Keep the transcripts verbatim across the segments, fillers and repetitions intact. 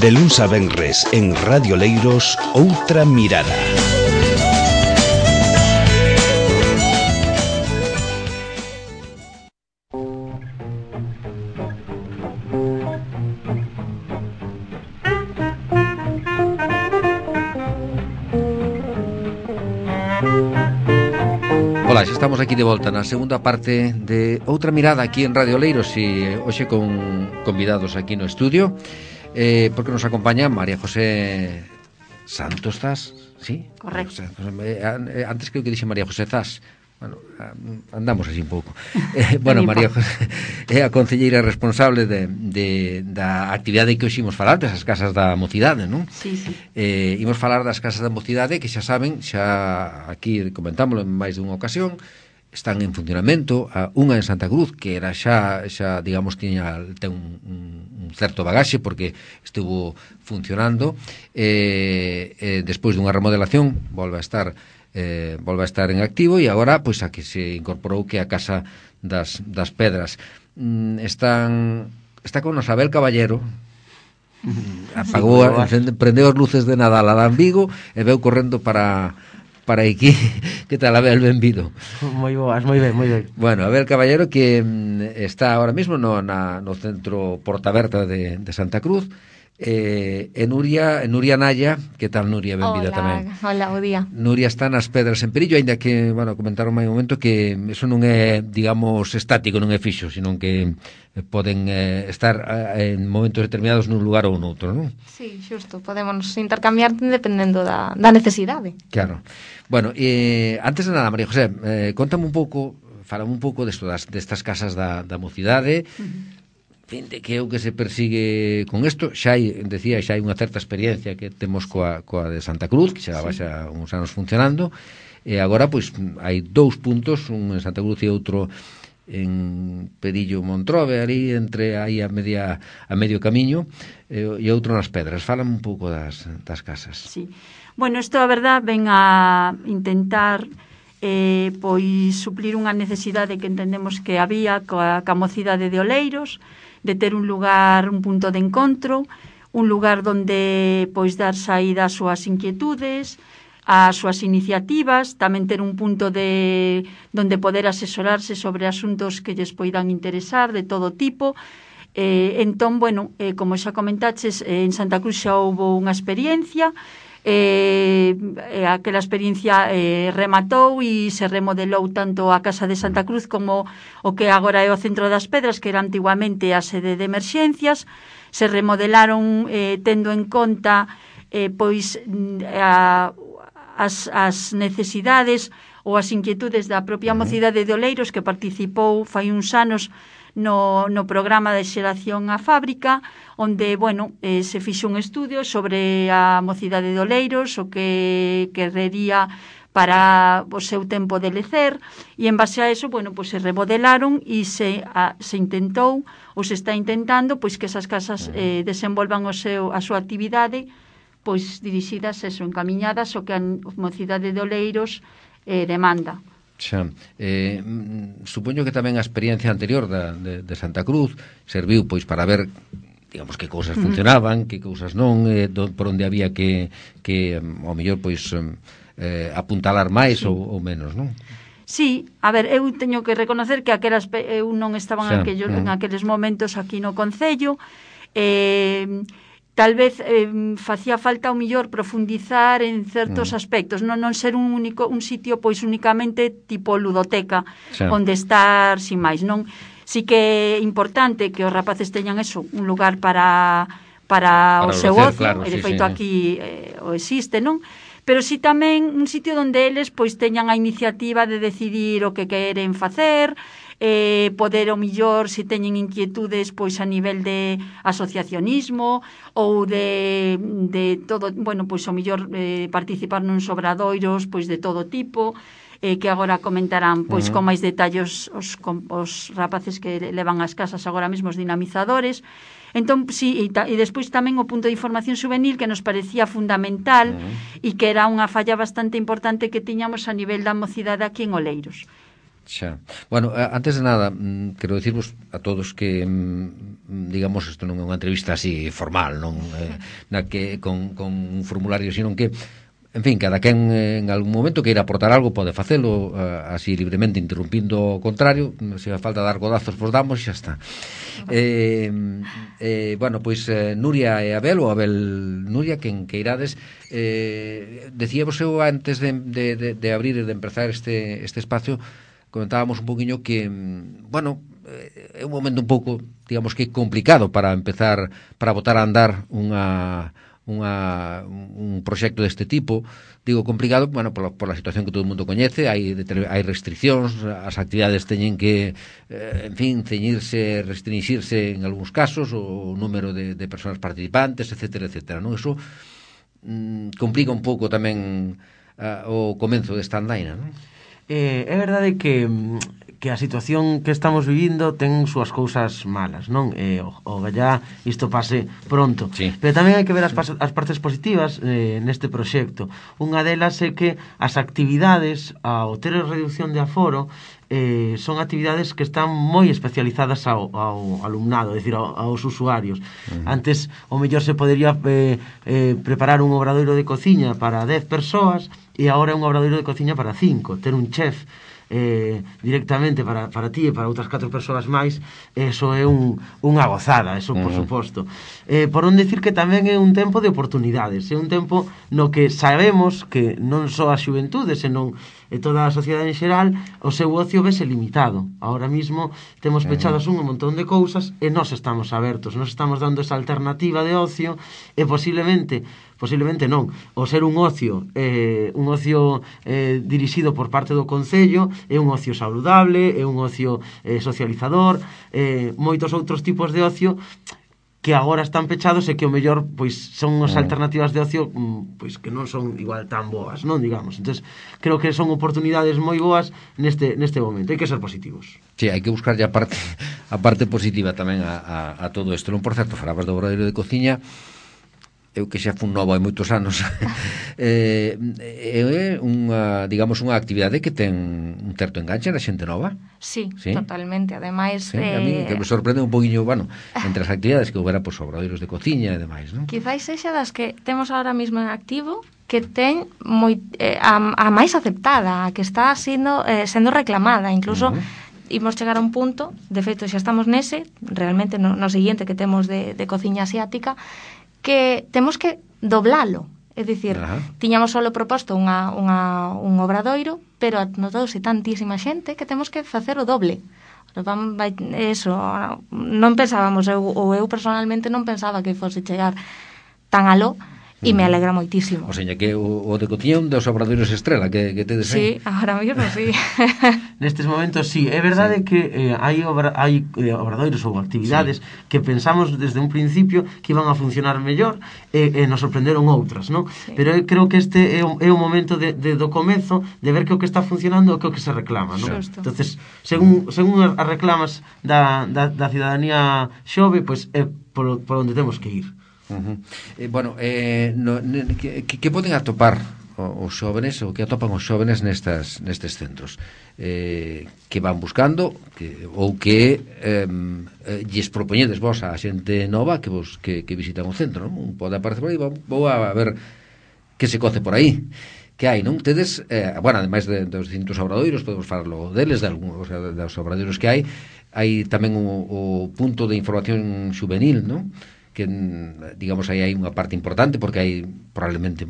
De luns a venres en Radio Leiros, Outra Mirada. Ola, xa estamos aquí de volta na segunda parte de Outra Mirada aquí en Radio Leiros e hoxe con convidados aquí no estudio, eh, porque nos acompaña María José Santos Zas, ¿sí? Correcto. Antes creo que dixe María José Zas. Bueno, andamos así un pouco. Eh, bueno, María José é a concelleira responsable de, de, da actividade que hoxe imos falar, desas casas da mocidade, non? Sí, sí. Eh, imos falar das casas da mocidade que xa saben, xa aquí comentámoslo en máis dunha ocasión, están en funcionamento, a, unha en Santa Cruz, que era xa, xa digamos, tiña, ten un, un, un certo bagaxe porque estuvo funcionando, eh, eh, despois dunha remodelación volve a estar Eh, volve a estar en activo e agora pois a que se incorporou que a Casa das, das Pedras mm, están está con Abel Caballero, apagou, sí, a, prendeu as luces de Nadal a Vigo e veu correndo para para aquí. Que tal, Abel? Benvido. Moi boas, moi ben, moi ben. Bueno, Abel Caballero que mm, está ahora mismo no, na, no centro Portaberta de, de Santa Cruz. Eh, e Nuria, Nuria Naya, que tal, Nuria? Benvida tamén. Hola, bo día. Nuria está nas Pedras en Perillo, aínda que, bueno, comentaron máis un momento que eso non é, digamos, estático, non é fixo, sino que poden eh, estar eh, en momentos determinados nun lugar ou noutro, non? Sí, xusto, podemos intercambiar dependendo da, da necesidade. Claro. Bueno, eh, antes de nada, María José, eh, contame un pouco, falame un pouco desto, das, destas casas da, da mocidade, uh-huh. De que é o que se persigue con isto. Xa hai, decía, xa hai unha certa experiencia que temos coa, coa de Santa Cruz, que xa vai xa uns anos funcionando, e agora pois hai dous puntos, un en Santa Cruz e outro en Perillo Montrove, ali entre aí a media a medio camiño, e, e outro nas Pedras. Fálame un pouco das, das casas. Sí. Bueno, isto a verdad ven a intentar eh, pois suplir unha necesidade que entendemos que había coa, coa mocidade de Oleiros, de ter un lugar, un punto de encontro, un lugar donde pois dar saída ás súas inquietudes, ás súas iniciativas, tamén ter un punto de donde poder asesorarse sobre asuntos que lles poidan interesar de todo tipo. Eh, entón, bueno, eh, como xa comentaches, eh, en Santa Cruz xa houve unha experiencia, Eh, eh, aquela experiencia eh, rematou e se remodelou tanto a Casa de Santa Cruz como o que agora é o Centro das Pedras, que era antiguamente a sede de emerxencias. Se remodelaron eh, tendo en conta eh, pois a, as, as necesidades ou as inquietudes da propia mocidade de Oleiros, que participou fai uns anos no, no programa de xeración á fábrica, onde, bueno, eh, se fixo un estudio sobre a mocidade de Oleiros, o que querrería para o seu tempo de lecer, e en base a eso, bueno, pues se remodelaron e se, a, se intentou, ou se está intentando, pois que esas casas eh, desenvolvan o seu, a súa actividade, pois dirixidas, eso, encamiñadas o que a mocidade de Oleiros eh, demanda. Xa, eh, supoño que tamén a experiencia anterior da, de, de Santa Cruz serviu pois para ver, digamos, que cousas funcionaban, que cousas non, eh, do, por onde había que, que ao mellor, pois, eh, apuntalar máis, sí, ou, ou menos, non? Sí, a ver, eu teño que reconocer que aquelas, eu non estaba en, aquellos, en aqueles momentos aquí no Concello, eh... tal vez eh, facía falta o millor profundizar en certos mm. aspectos, non non ser un único un sitio pois únicamente tipo ludoteca, sí, onde estar sin máis, non? Si que é importante que os rapaces teñan eso, un lugar para para, para o seu ocio, claro, e de feito sí, aquí eh, o existe, non? Pero si tamén un sitio onde eles pois teñan a iniciativa de decidir o que queren facer, eh, poder o millor, se teñen inquietudes pois a nivel de asociacionismo ou de, de todo, bueno, pois o millor eh, participar nuns obradoiros pois de todo tipo, eh, que agora comentarán pois uh-huh. con máis detalles os, con, os rapaces que levan as casas agora mesmo, os dinamizadores. Entón, sí, e, ta, e despois tamén o punto de información juvenil que nos parecía fundamental uh-huh. e que era unha falla bastante importante que tiñamos a nivel da mocidade aquí en Oleiros. Xa. Bueno, antes de nada, quero dicirvos a todos que, digamos, isto non é unha entrevista así formal, non eh, na que con, con un formulario, sino que, en fin, cada quen en algún momento que ir a aportar algo pode facelo uh, así libremente, interrumpindo o contrario. Se a falta dar godazos, pois damos e xa está. Eh, eh, bueno, pois eh, Nuria e Abel, ou Abel Nuria, quen que irades, eh, decíamos eu antes de, de, de, de abrir e de empezar este, este espacio, comentábamos un poquinho que, bueno, é un momento un pouco, digamos que complicado para empezar, para botar a andar unha unha, un proxecto deste tipo. Digo complicado, bueno, por, por la situación que todo o mundo coñece, hai, hai restriccións, as actividades teñen que, eh, en fin, ceñirse, restringirse en algúns casos, o número de, de persoas participantes, etcétera, etcétera, non? Eso mm, complica un pouco tamén uh, o comenzo desta andaina, non? Eh, é verdade que que a situación que estamos vivindo ten súas cousas malas, non? Eh, o, o gallá isto pase pronto. Sí. Pero tamén hai que ver as, as partes positivas eh, neste proxecto. Unha delas é que as actividades, ao ter a reducción de aforo, eh, son actividades que están moi especializadas ao, ao alumnado, é dicir, ao, aos usuarios. Uh-huh. Antes, o mellor se podería eh, eh, preparar un obradoiro de cociña para dez persoas e agora é un obradoiro de cociña para cinco. Ter un chef eh, directamente para, para ti e para outras catro persoas máis, eso é un, unha gozada, eso por uh-huh. suposto. Eh, por non dicir que tamén é un tempo de oportunidades, é un tempo no que sabemos que non só a xuventude, senón e toda a sociedade en xeral, o seu ocio vese limitado. Ahora mismo temos pechadas un montón de cousas e nós estamos abertos, nós estamos dando esa alternativa de ocio e posiblemente posiblemente non, o ser un ocio eh, un ocio eh, dirixido por parte do Concello é un ocio saludable, é un ocio eh, socializador, eh, moitos outros tipos de ocio que agora están pechados e que o mellor pois son as alternativas de ocio pois que non son igual tan boas, non, digamos. Entonces, creo que son oportunidades moi boas neste neste momento, hai que ser positivos. Sí, hai que buscar a parte a parte positiva tamén a, a, a todo isto. Non, por certo, falabas do obradoiro de cociña, eu que xa fun novo hai moitos anos, eh, é unha, digamos, unha actividade que ten un certo enganche na xente nova. Sí, ¿Sí? Totalmente. Ademais, sí, eh... a mí que me sorprende un poquinho, bueno, entre as actividades que houbera, pois, obradoiros de cociña e demais, non? Quizás sexa das que temos ahora mismo en activo que ten moi, eh, a, a máis aceptada, a que está sendo, eh, sendo reclamada, incluso uh-huh. imos chegar a un punto, de feito xa estamos nese, realmente no, no seguinte que temos de, de cociña asiática, que temos que doblalo. É dicir, uh-huh. tiñamos solo proposto unha, unha, un obradoiro, pero anotouse tantísima xente que temos que facer o doble. Eso, non pensábamos, eu, ou eu personalmente non pensaba que fose chegar tan aló, e me alegra moitísimo. O seña que o, o de cociña un dos obradoiros estrela que, que tedes aí. Sí, agora mesmo sí. Nestes momentos sí, é verdade sí. que eh, hai, obra, hai eh, obradoiros ou actividades sí. que pensamos desde un principio que iban a funcionar mellor e eh, eh, nos sorprenderon outras, non? Sí. Pero eu creo que este é o, é o momento de, de, do comezo de ver que o que está funcionando é o que, o que se reclama, non? Justo. Entonces, según, según as reclamas da, da, da cidadanía xove, pois é por, por onde temos que ir. Uh-huh. Eh, bueno, eh, no, ne, que, que poden atopar os xóvenes, ou que atopan os xóvenes nestas, nestes centros? Eh, que van buscando que, ou que eh, lles propoñedes vos a xente nova que vos que, que visitan o centro, non? Pode aparecer por aí, vou, vou a ver que se coce por aí. Que hai, non? Tedes, eh, bueno, ademais de, dos distintos obradoiros, podemos falarlo deles, de algún, o sea, dos obradoiros que hai, hai tamén o, o punto de información juvenil, non? Que, digamos, aí hai unha parte importante porque hai probablemente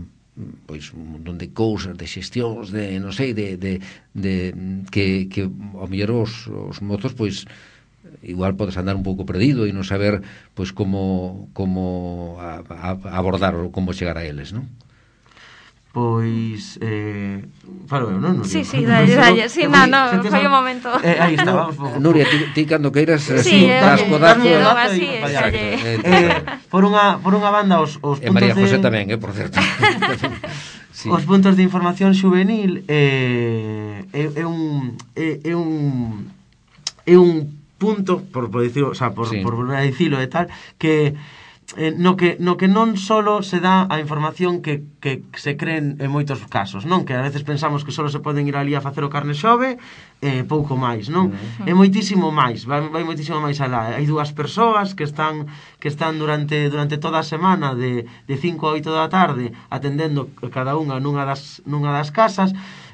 pois un montón de cousas, de xestións, de, non sei, de, de, de que, que ao mellor os, os mozos pois igual podes andar un pouco perdido e non saber pois como como a, a abordar ou como chegar a eles, non? Pois eh, falo eu, non? Sí, sí, dalle, dalle. Sí, no, no, foi o momento. Eh, aí está, vamos. Nuria, ti, ti cando queiras, sí, das codazo. Así, eh, por unha por unha banda os os puntos de... E María José tamén, eh, por certo. Sí. Os puntos de información juvenil eh, é, é un é, é un é un punto, por por dicirlo, o sea, por sí. por volver a dicilo e tal, que eh, no, que, no que non solo se dá a información que, que se creen en moitos casos, non? Que a veces pensamos que solo se poden ir ali a facer o carne xove e eh, pouco máis, non? Uh-huh. É moitísimo máis, vai, vai moitísimo máis alá. Hai dúas persoas que están que están durante durante toda a semana de, de cinco a oito da tarde atendendo cada unha nunha das, nunha das casas.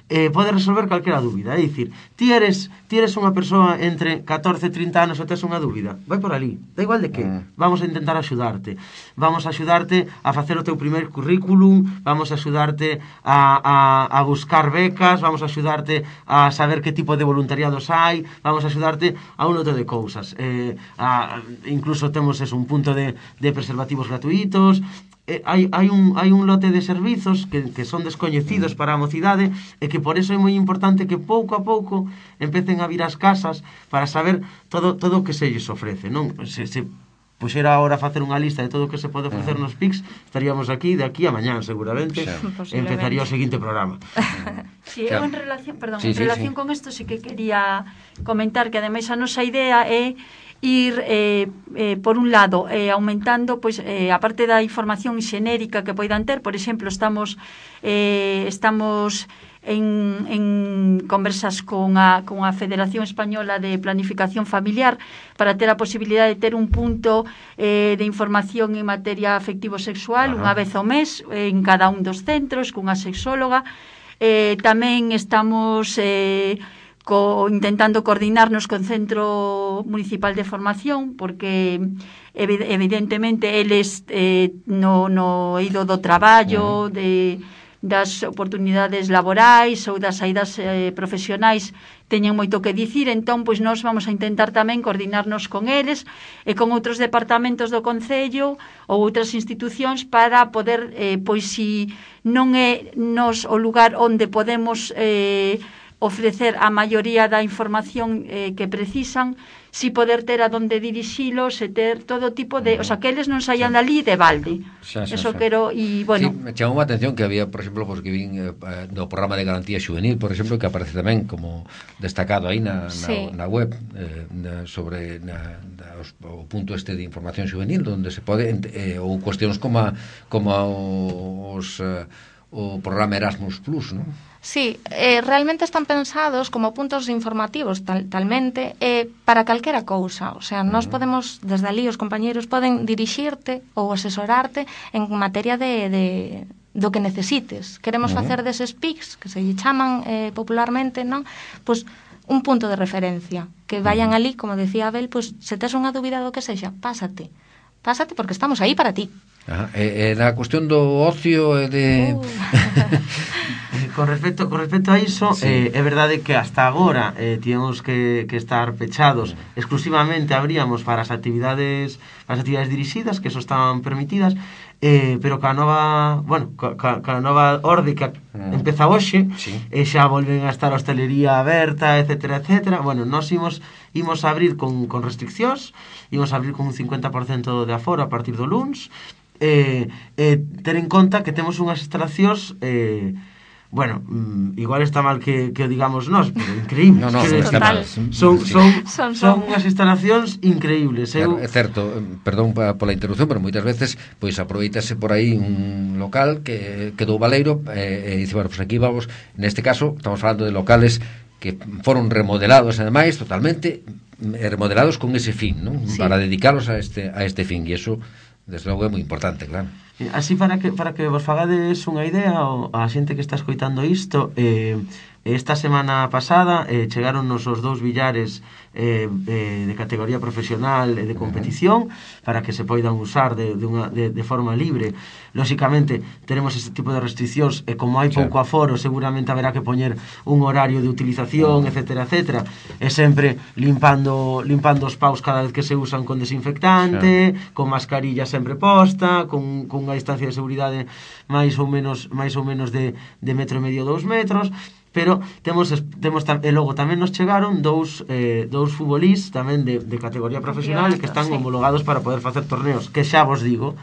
Eh, pode resolver calquera dúbida. É dicir, ti eres, ti eres unha persoa entre catorce e trinta anos e tes unha dúbida, vai por ali, da igual de que. Mm. Vamos a intentar axudarte. Vamos a axudarte a facer o teu primer currículum, vamos a axudarte a, a, a buscar becas, vamos a axudarte a saber que tipo de voluntariados hai, vamos a axudarte a un lote de cousas. Eh, a, incluso temos eso, un punto de, de preservativos gratuitos. Eh, hai, hai, un, hai un lote de servizos que, que son descoñecidos para a mocidade e que por eso é moi importante que pouco a pouco empecen a vir ás casas para saber todo todo o que se lles ofrece, non? Se, se puxera agora a facer unha lista de todo o que se pode ofrecer nos P I Cs, estaríamos aquí de aquí a mañán seguramente, sí. Empezaría o seguinte programa. Sí, eu en relación, perdón, sí, en relación sí, sí. con isto sí que quería comentar que ademais a nosa idea é ir, eh, eh, por un lado, eh, aumentando, pois, eh, a parte da información xenérica que poidan ter. Por exemplo, estamos eh, estamos en, en conversas con a, con a Federación Española de Planificación Familiar para ter a posibilidade de ter un punto eh, de información en materia afectivo-sexual unha vez ao mes eh, en cada un dos centros, cunha sexóloga. Eh, tamén estamos eh, co, intentando coordinarnos con Centro Municipal de Formación, porque evidentemente eles eh, no, no eido do traballo, de, das oportunidades laborais ou das saídas eh, profesionais teñen moito que dicir. Entón, pois nós vamos a intentar tamén coordinarnos con eles e con outros departamentos do Concello ou outras institucións para poder, eh, pois si non é nos o lugar onde podemos eh, ofrecer a maioría da información eh, que precisan, si poder ter a donde dirixilos e ter todo tipo de... O sea, que eles non saian dali de balde. Xa, xa, Eso xa. Quero... E, bueno... Sí, me chamou a atención que había, por exemplo, pues, que vin eh, do programa de garantía xuvenil, por exemplo, que aparece tamén como destacado aí na, sí. na, na web eh, na, sobre na, na, os, o punto este de información xuvenil, onde se pode... Eh, ou cuestións como, a, como a, os... Eh, o programa Erasmus Plus, non? Sí, eh, realmente están pensados como puntos informativos tal, talmente eh, para calquera cousa. O sea, nós podemos, desde ali os compañeiros poden dirixirte ou asesorarte en materia de, de do que necesites. Queremos uh-huh. facer deses P I Cs, que se lle chaman eh, popularmente, non? Pois un punto de referencia, que vayan ali, como decía Abel, pois se tes unha dúbida do que sexa, pásate. Pásate porque estamos aí para ti. Ajá. E, e na cuestión do ocio e de... Uh. con respecto con respecto a iso, sí. eh, é verdade que hasta agora eh, tíamos que, que estar pechados. Exclusivamente abríamos para as actividades para as actividades dirixidas, que eso estaban permitidas, eh, pero ca nova, bueno, ca, ca nova orde que mm. empeza hoxe, sí. e xa volven a estar a hostelería aberta, etcétera, etcétera. Bueno, nós imos imos abrir con, con restriccións, imos abrir con un cincuenta por cento de aforo a partir do luns. Eh, eh, ter en conta que temos unhas instalacións eh, bueno, mm, igual está mal que, que o digamos nós, pero increíbles. No, no, que está mal. Son, son, son, son unhas instalacións increíbles. Claro, eu... É certo, perdón pola interrupción, pero moitas veces pois aproveitase por aí un local que quedou baleiro e, e dice, bueno, pois aquí vamos, neste caso estamos falando de locales que foron remodelados ademais totalmente remodelados con ese fin, ¿no? Sí. Para dedicalos a este a este fin, e eso desde logo é moi importante, claro. Así para que para que vos fagades unha idea a xente que está escoitando isto, eh, esta semana pasada eh, chegaron nos os dous billares eh, eh, de categoría profesional e de competición para que se poidan usar de, de, unha, de, de forma libre. Lóxicamente tenemos este tipo de restriccións e como hai pouco aforo seguramente haberá que poñer un horario de utilización, etcétera, etcétera, e sempre limpando limpando os paus cada vez que se usan con desinfectante, sí. con mascarilla sempre posta, con, con unha distancia de seguridade máis ou menos máis ou menos de, de metro e medio, dous metros. Pero temos, temos e logo tamén nos chegaron dous, eh, dous futbolís tamén de, de categoría profesional que están sí. homologados para poder facer torneos, que xa vos digo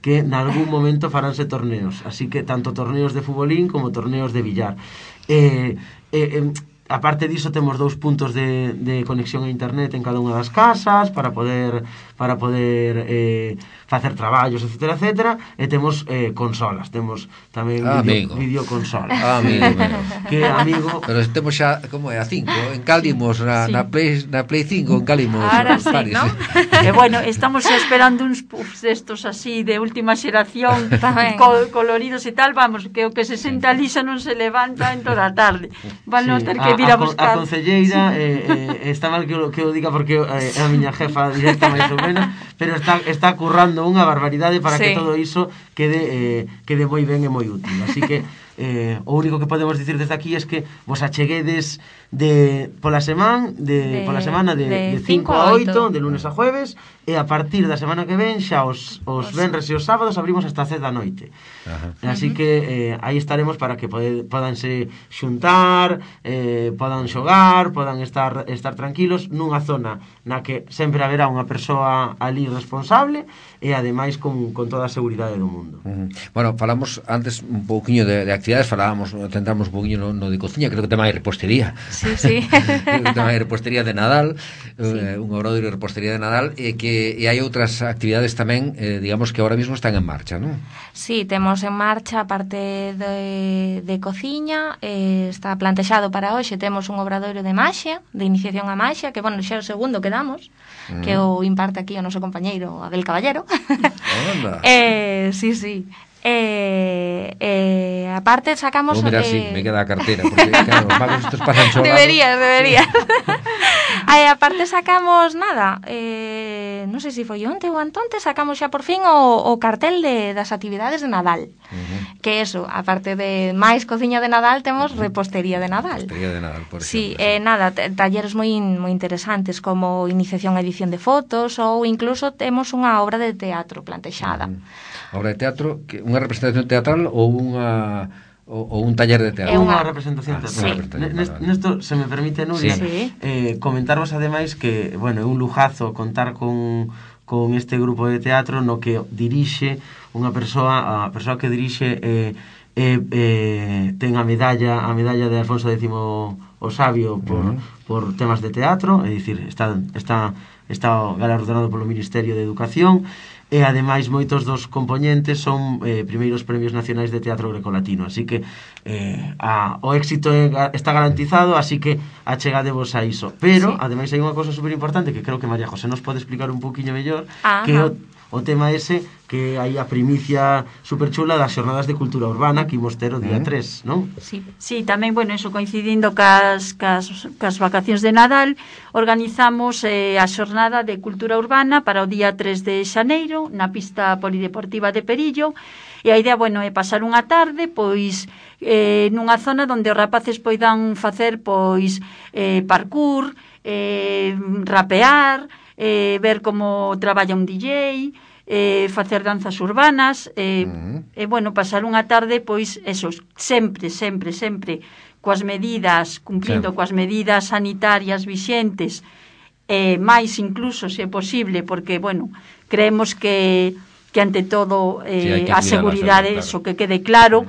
que en algún momento faránse torneos, así que tanto torneos de futbolín como torneos de billar. eh, eh, eh, aparte diso temos dous puntos de, de conexión a internet en cada unha das casas para poder para poder eh, facer traballos, etcétera, etcétera, e temos eh, consolas, temos tamén ah, video, amigo. videoconsolas. Ah, amigo, amigo. Que amigo... Pero temos xa, como é, a cinco, en Calimos, na, Sí. na, Play, na Play cinco, en Calimos. Ahora en sí, Paris, ¿no? eh. E bueno, estamos esperando uns puffs destos así de última xeración, Tamén. co coloridos e tal, vamos, que o que se senta ali xa non se levanta en toda a tarde. Van a ter que vir a, a, buscar. a concelleira eh, eh, está mal que o, que o diga porque eh, é a miña jefa directa máis ou menos, pero está, está currando unha barbaridade para Sí. que todo iso quede, eh, quede moi ben e moi útil. Así que eh, o único que podemos dicir desde aquí é que vos acheguedes de pola semana de, De- pola semana de, de de cinco cinco a a oito, oito. de lunes a jueves, e a partir da semana que ven xa os, os venres e os sábados abrimos hasta as dez da noite. Ajá. Así que eh, aí estaremos para que pode, podanse xuntar, eh, podan xogar, podan estar estar tranquilos nunha zona na que sempre haberá unha persoa ali responsable e ademais con, con toda a seguridade do mundo. Uh -huh. Bueno, falamos antes un pouquiño de, de actividades, falábamos, centramos un pouquiño no, no de cociña, creo que tema de repostería. Sí, sí. Creo que tema de repostería de Nadal, Sí. eh, un obradoiro de repostería de Nadal, e que e hai outras actividades tamén, eh, digamos que ahora mismo están en marcha, non? Sí, temos en marcha a parte de, de cociña, eh, está plantexado para hoxe, temos un obradoiro de maxia, de iniciación a maxia, que, bueno, xa é o segundo que damos, mm. que o imparte aquí o noso compañeiro Abel Caballero. Onda. eh, sí, sí. Eh, eh, aparte sacamos... Vou mirar eh, si me queda a cartera, porque claro, os magos estos pasan xogando. Deberías, deberías. Aí, aparte sacamos nada, eh, non sei se foi onte ou antonte, sacamos xa por fin o, o cartel de, das actividades de Nadal. Uh -huh. Que eso, aparte de máis cociña de Nadal, temos repostería de Nadal. Repostería de Nadal, por Sí, exemplo. eh, nada, talleres moi moi interesantes como iniciación a edición de fotos ou incluso temos unha obra de teatro plantexada. Uh -huh. Obra de teatro, que unha representación teatral ou unha ou, ou un taller de teatro? É unha unha- representación Ah, teatral. sí. Nest- Nesto, se me permite, Nuria, Sí. eh, comentarvos ademais que, bueno, é un lujazo contar con, con este grupo de teatro no que dirixe unha persoa, a persoa que dirixe eh, eh, eh, ten a medalla a medalla de Alfonso X o Sabio por, Uh -huh. por temas de teatro, é dicir, está, está, está galardonado polo Ministerio de Educación, e ademais moitos dos compoñentes son eh, primeiros premios nacionais de teatro grecolatino, así que eh, a, o éxito é, está garantizado, así que achegadevos a iso. Pero, Sí. ademais, hai unha cosa super importante que creo que María José nos pode explicar un poquinho mellor, Ajá. que o, o tema ese que hai a primicia super chula das xornadas de cultura urbana que imos ter o día Mm. tres, non? Sí. Sí, tamén, bueno, eso coincidindo cas, cas, cas vacacións de Nadal, organizamos eh, a xornada de cultura urbana para o día tres de xaneiro na pista polideportiva de Perillo, e a idea, bueno, é pasar unha tarde, pois, eh, nunha zona onde os rapaces poidan facer, pois, eh, parkour, eh, rapear, eh, ver como traballa un D J, eh, facer danzas urbanas, eh, Uh -huh. e, bueno, pasar unha tarde, pois, eso, sempre, sempre, sempre, coas medidas, cumplindo Claro. coas medidas sanitarias vixentes, eh, máis incluso, se é posible, porque, bueno, creemos que, que ante todo, Sí, hai eh, que a cuidar a seguridade, saúde, claro. eso que quede claro,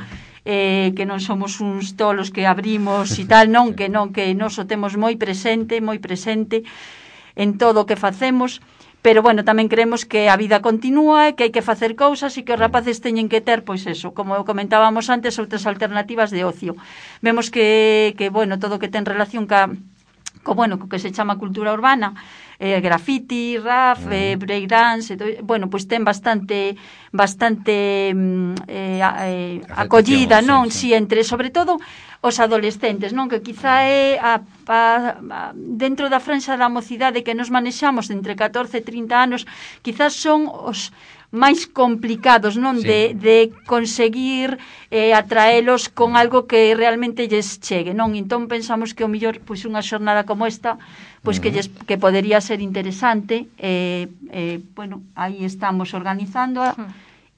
eh, que non somos uns tolos que abrimos e tal, non, que non, que nos o temos moi presente, moi presente en todo o que facemos, pero, bueno, tamén creemos que a vida continúa e que hai que facer cousas e que os rapaces teñen que ter, pois eso, como comentábamos antes, outras alternativas de ocio. Vemos que, que bueno, todo o que ten relación ca, co, bueno, co que se chama cultura urbana, eh, graffiti, rap, Mm. eh, breakdance, eh, bueno, pois ten bastante bastante mm, eh, a- eh, acollida, sí, non? sí. Si, entre, sobre todo, os adolescentes, non? Que quizá é a, a, a, dentro da franxa da mocidade que nos manexamos entre catorce e trinta anos, quizás son os máis complicados, non? Sí. De, de conseguir eh, atraelos con algo que realmente lles chegue, non? Entón pensamos que o mellor, pois, unha xornada como esta, pois, que, lles, que podería ser interesante, eh, eh, bueno, aí estamos organizándoa,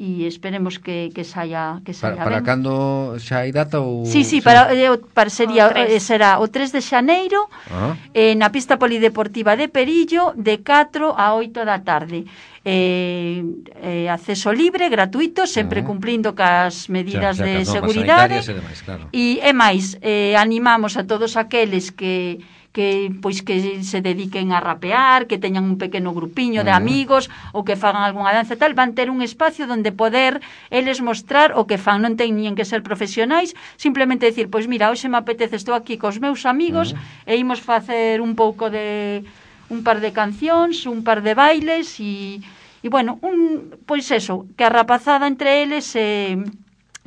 e esperemos que, que saia que Para, saia para ben. cando xa hai data ou... Sí, sí, para, eh, para sería, O tres. eh, será o tres de xaneiro, Ah, eh, na pista polideportiva de Perillo, de catro a oito da tarde. Eh, eh, acceso libre, gratuito, sempre Ah. cumplindo cas medidas xa, xa, de cas normas seguridade. sanitarias e demais, claro. E, é máis, eh, animamos a todos aqueles que que pois que se dediquen a rapear, que teñan un pequeno grupiño de amigos ou que fagan algunha danza tal, van ter un espacio onde poder eles mostrar o que fan, non teñen que ser profesionais, simplemente decir, pois mira, hoxe me apetece, estou aquí cos meus amigos e imos facer un pouco de un par de cancións, un par de bailes e E, bueno, un, pois eso, que a rapazada entre eles eh,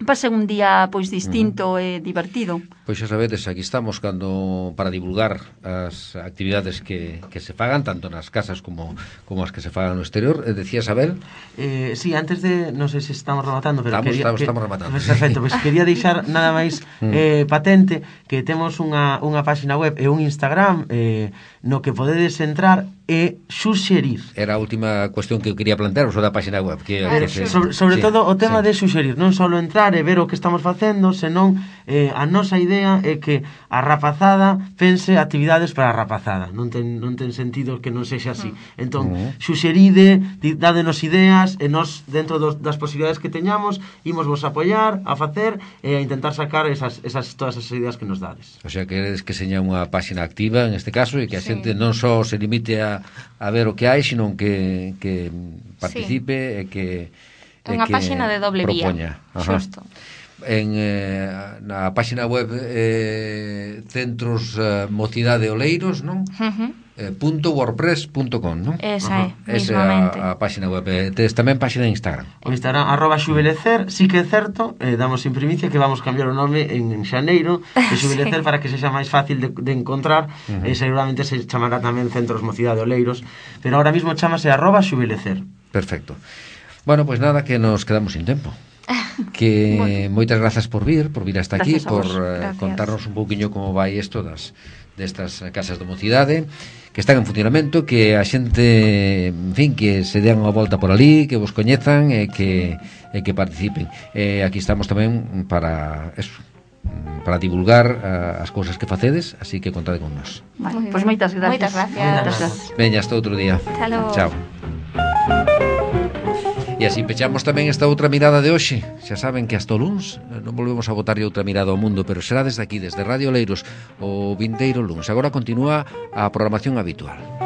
pase un día pois distinto e uh -huh. divertido. Pois xa sabedes, aquí estamos cando para divulgar as actividades que, que se fagan, tanto nas casas como, como as que se fagan no exterior. Eh, decía Isabel? Eh, sí, antes de, non sei se estamos rematando, pero estamos, quería, estamos, que, estamos rematando. Perfecto, pois pues quería deixar nada máis eh, patente que temos unha, unha página web e un Instagram eh, no que podedes entrar e suxerir. Era a última cuestión que eu quería plantear, o da página web. Que, Pero, que se... sobre sobre sí, todo o tema sí. de suxerir, non só entrar e ver o que estamos facendo, senón eh, a nosa idea é que a rapazada pense actividades para a rapazada. Non ten, non ten sentido que non sexa así. Entón, uh -huh. suxeride, dádenos ideas e nós, dentro dos, das posibilidades que teñamos, imos vos apoiar a facer e a intentar sacar esas, esas, todas esas ideas que nos dades. O sea, queredes que seña unha página activa en este caso e que a sí. xente non só se limite a, a ver o que hai, sino que, que participe sí. e que unha página de doble propoña. Vía. Xusto. En eh, na página web eh, Centros eh, Mocidade Oleiros, non? Uh -huh. eh, punto wordpress punto com, non? Esa é, uh -huh. Esa é a, a página web. Eh, tes tamén página de Instagram. O Instagram, arroba xubelecer, sí que é certo, eh, damos en primicia que vamos cambiar o nome en, en xaneiro de xubelecer sí. para que sexa máis fácil de, de encontrar, uh -huh. e seguramente se chamará tamén Centros Mocidade Oleiros, pero ahora mismo chamase arroba xubelecer. Perfecto. Bueno, pues nada, que nos quedamos sin tempo. Que bueno. moitas grazas por vir, por vir hasta aquí, por uh, contarnos un pouquiño como vai isto das destas casas de mocidade que están en funcionamento, que a xente, en fin, que se dean unha volta por ali, que vos coñezan e que e que participen. E aquí estamos tamén para eso, para divulgar uh, as cousas que facedes, así que contade con nós. Vale, pois pues moitas gracias. Moitas gracias. Moitas gracias. Veña, hasta outro día. Chao. E así pechamos tamén esta outra mirada de hoxe. Xa saben que hasta o luns non volvemos a botarlle outra mirada ao mundo, pero será desde aquí, desde Radio Oleiros, o vindeiro luns. Agora continúa a programación habitual.